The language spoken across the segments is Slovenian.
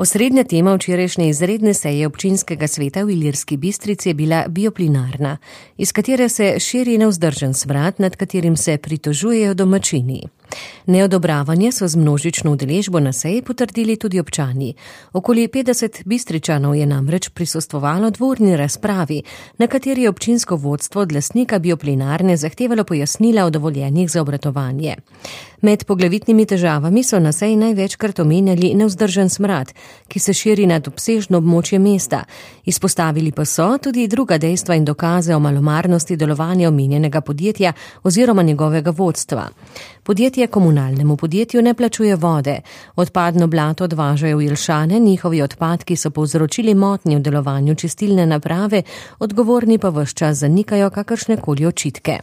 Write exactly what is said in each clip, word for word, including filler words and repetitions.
Osrednja tema včerajšnje izredne seje občinskega sveta v Ilirski Bistrici je bila bioplinarna, iz katere se širi nevzdržen smrad, nad katerim se pritožujejo domačini. Neodobravanje so z množično udeležbo na seji potrdili tudi občani. Okoli petdeset Bistričanov je namreč prisostvovalo dvorni razpravi, na kateri je občinsko vodstvo od lastnika bioplinarne zahtevalo pojasnila o dovoljenjih za obratovanje. Med poglavitnimi težavami so na seji največkrat omenjali nevzdržen smrad, ki se širi nad obsežno območje mesta. Izpostavili pa so tudi druga dejstva in dokaze o malomarnosti delovanja omenjenega podjetja oziroma njegovega vodstva. Podjetje komunalnemu podjetju ne plačuje vode. Odpadno blato odvažajo v Jelšane, njihovi odpadki so povzročili motnje v delovanju čistilne naprave, odgovorni pa ves čas zanikajo kakršnekoli očitke.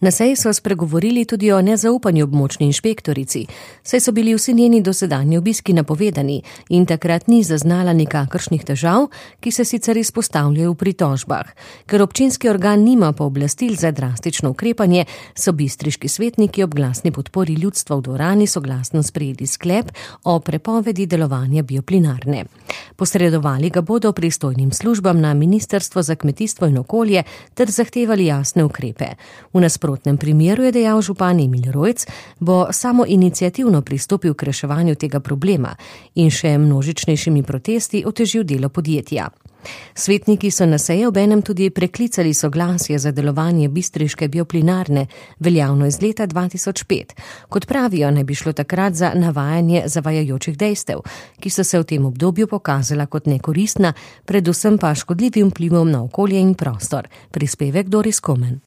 Na seji so spregovorili tudi o nezaupanju območni inšpektorici, saj so bili vsi njeni dosedanji obiski napovedani in takrat ni zaznala nikakršnih težav, ki se sicer izpostavljajo v pritožbah. Ker občinski organ nima pooblastil za drastično ukrepanje, so bistriški svetniki ob glasni podpori ljudstva v dvorani soglasno sprejeli sklep o prepovedi delovanja bioplinarne. Posredovali ga bodo pristojnim službam na Ministrstvo za kmetijstvo in okolje ter zahtevali jasne ukrepe. V nasprotnem primeru, je dejal župan Emil Rojc, bo samo iniciativno pristopil k reševanju tega problema in še množičnejšimi protesti otežil delo podjetja. Svetniki so na seji obenem tudi preklicali soglasje za delovanje bistriške bioplinarne, veljavno iz leta dva tisoč pet. Kot pravijo, ne bi šlo takrat za navajanje zavajajočih dejstev, ki so se v tem obdobju pokazala kot nekoristna, predvsem pa škodljivim vplivom na okolje in prostor. Prispevek Doris Komen.